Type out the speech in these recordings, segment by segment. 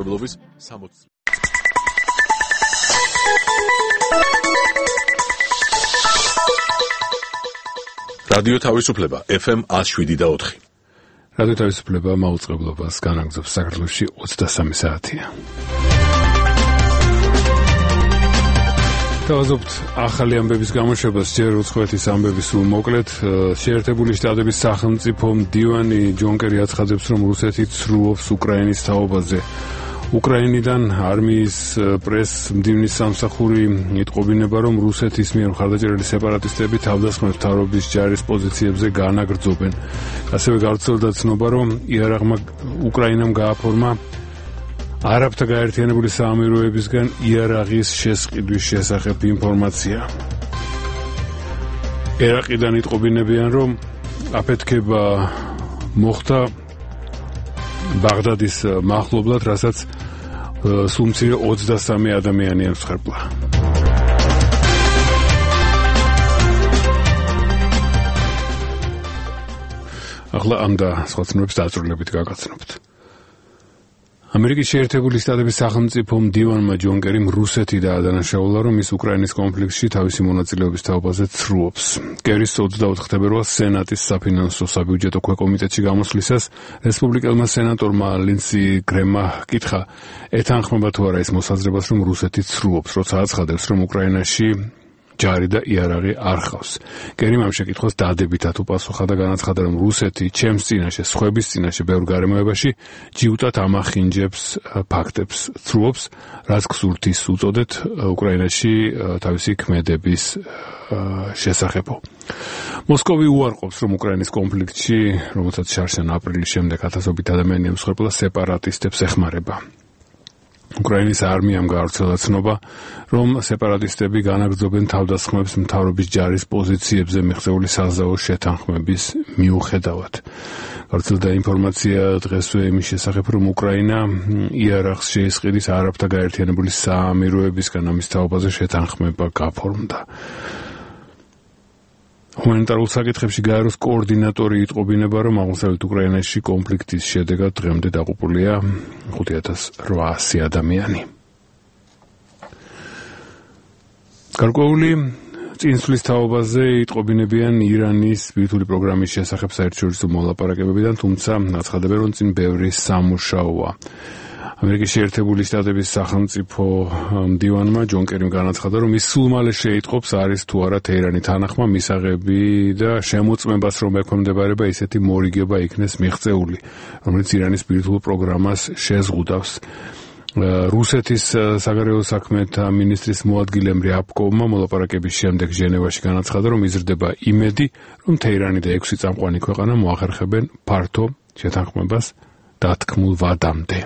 მაუწყებლობის 60 რადიო თავისუფლება FM 107.4 რადიო თავისუფლება მაუწყებლობას განაგრძობს საქართველოში 23 საათია. თავაზობთ ახალი ამბების გამოშვებას ჯერ უცხოეთის ამბების სულ მოკლედ შეერთებული შტატების სახელმწიფო მდივანი ჯონ კერი აცხადებს რომ რუსეთი ცრუობს უკრაინის თაობაზე. უკრაინიდან არმიის პრეს მდივნის სამსახური იტყობინება რომ რუსეთის მიერ მხარდაჭერილი სეპარატისტები თავდასხმებს მთავრობის ჯარის პოზიციებზე განაგრძობენ. ასევე გავრცელდა ცნობა რომ იარაღმა უკრაინამ გააფორმა არაბთა გაერთიანებული საამიროებისგან იარაღის შესყიდვის შესახებ ინფორმაცია. ერაყიდან იტყობინებიან რომ აფეთქება მოხდა ბაღდადის მახლობლად, რასაც სულ მცირე 23 ადამიანი ემსხვერპლა. ახლა ამ და სხვა ცნობებს დაწვრილებით გაგაცნობთ. ამერიკის შეერთებული შტატების სახელმწიფო მდივანმა ჯონ კერიმ რუსეთი დაადანაშაულა, რომ ის უკრაინის კონფლიქტში თავისი მონაწილეობის თაობაზე ცრუობს. კერის 24 თებერვალს სენატის საფინანსო საბიუჯეტო ქვეკომიტეტში გამოსვლისას რესპუბლიკელმა სენატორმა ლინსი გრემმა კითხა, ეთანხმება თუ არა ის მოსაზრებას, რომ რუსეთი ცრუობს, როცა აცხადებს, რომ უკრაინაში ჯარი და იარაღი არ ხავს. კერიმ ამ შეკითხვას დადებითად უპასუხა და განაცხადა, რომ რუსეთი ჩემს წინაშე, სხვების წინაშე ბევრ გარემოებაში ჯიუტად ამახინჯებს ფაქტებს, ცრუობს, რაც გსურთ ის უწოდეთ უკრაინაში თავისი ქმედების შესახებო. მოსკოვი უარყოფს, რომ უკრაინის კონფლიქტში, რომელსაც შარშან აპრილის შემდეგ ათასობით ადამიანი ემსხვერპლა, სეპარატისტებს ეხმარება. უკრაინის არმიამ გაავრცელა ცნობა, რომ სეპარატისტები განაგრძობენ თავდასხმებს მთავრობის ჯარის პოზიციებზე მიღწეული საზავო შეთანხმების მიუხედავად. გავრცელდა ინფორმაცია დღესვე იმის შესახებ, რომ უკრაინა იარაღს შეისყიდის არაბთა გაერთიანებული საამიროებისგან ამის თაობაზე შეთანხმება გაფორმდა. ჰუმანიტარულ საკითხებში გაეროს კოორდინატორი იტყობინება, რომ აღმოსავლეთ უკრაინაში კონფლიქტის შედეგად დღემდე დაღუპულია 5800 ადამიანი. გარკვეული წინსვლის თაობაზე იტყობინებიან ირანის ბირთვული პროგრამის შესახებ საერთაშორისო მოლაპარაკებებიდან, თუმცა აცხადებენ, რომ წინ ბევრი სამუშაოა. ამერიკის შეერთებული შტატების სახელმწიფო მდივანმა ჯონ კერიმ განაცხადა, რომ ის სულ მალე შეიტყობს, არის თუ არა თეირანი თანახმა მისაღები და შემოწმებას, რომ ექვემდებარება ისეთი მორიგება იქნეს მიღწეული, რომელიც ირანის ბირთვულ პროგრამას შეზღუდავს. რუსეთის საგარეო საქმეთა მინისტრის მოადგილემ რიაბკოვმა მოლაპარაკების შემდეგ ჟენევაში განაცხადა, რომ იზრდება იმედი, რომ თეირანი და 6 წამყვანი ქვეყანა მოახერხებენ ფართო შეთანხმებას დათქმულ ვადამდე.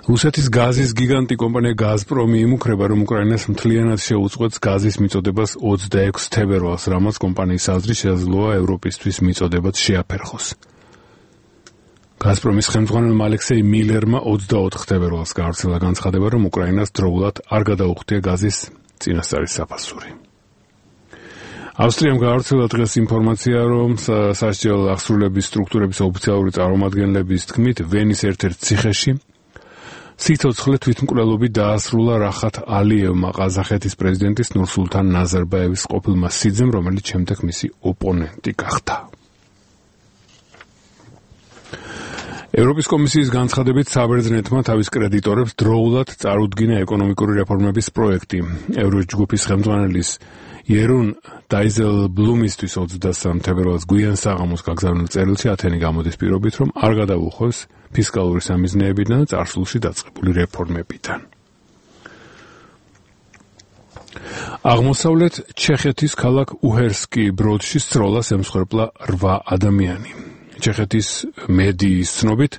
რუსეთის გაზის გიგანტი კომპანია გაზპრომი იმუქრება, რომ უკრაინას მთლიანად შეუწყვეტს გაზის მიწოდებას 26 თებერვალს, რამაც კომპანიის აზრით შესაძლოა ევროპისთვის მიწოდებაც შეაფერხოს. გაზპრომის ხელმძღვანელმა ალექსეი მილერმა 24 თებერვალს გაავრცელა განცხადება, რომ უკრაინას დროულად არ გადაუხდია გაზის წინასწარი საფასური. ავსტრიამ გაავრცელა დღეს ინფორმაცია, რომ სასჯელ აღსრულების სტრუქტურების ოფიციალური წარმომადგენლების თქმით, ვენის ერთ-ერთ ციხეში სიცოცხლე თვითმკვლელობით დაასრულა რახათ ალიევმა, ყაზახეთის პრეზიდენტის ნურსულთან ნაზარბაევის ყოფილმა სიძემ, რომელიც შემდეგ მისი ოპონენტი გახდა. ევროპის კომისიის განცხადებით საბერძნეთმა თავის კრედიტორებს დროულად წარუდგინა ეკონომიკური რეფორმების პროექტი. ევროჯგუფის ხელმძღვანელის იერონ დაიზელბლუმისთვის 23 თებერვალს გვიან საღამოს გაგზავნილ წერილში ათენი გამოდის პირობით, რომ არ გადაუხევს ფისკალური სამიზნეებიდან და წარსულში დაწყებული რეფორმებიდან. აღმოსავლეთ ჩეხეთის ქალაქ უჰერსკი ბროდში სროლას ემსხვერპლა 8 ადამიანი. ჩეხეთის მედიის ცნობით,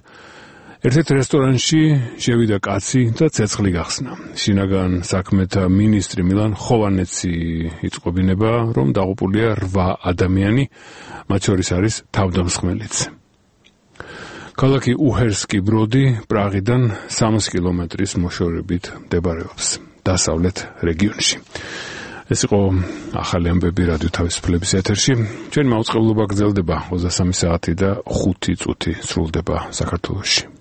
ერთ-ერთ რესტორანში შევიდა კაცი და ცეცხლი გახსნა. შინაგან საქმეთა მინისტრი მილან ხოვანეცი იტყობინება, რომ დაღუპულია 8 ადამიანი, მათ შორის არის თავდამსხმელიც. ქალაქი უჰერსკი ბროდი პრაღიდან 3 კილომეტრის მოშორებით მდებარეობს დასავლეთ რეგიონში. ეს იყო ახალი ამბები რადიო თავისუფლების ეთერში. ჩვენი მაუწყებლობა გრძელდება 23 საათი და 5 წუთი სრულდება საქართველოში.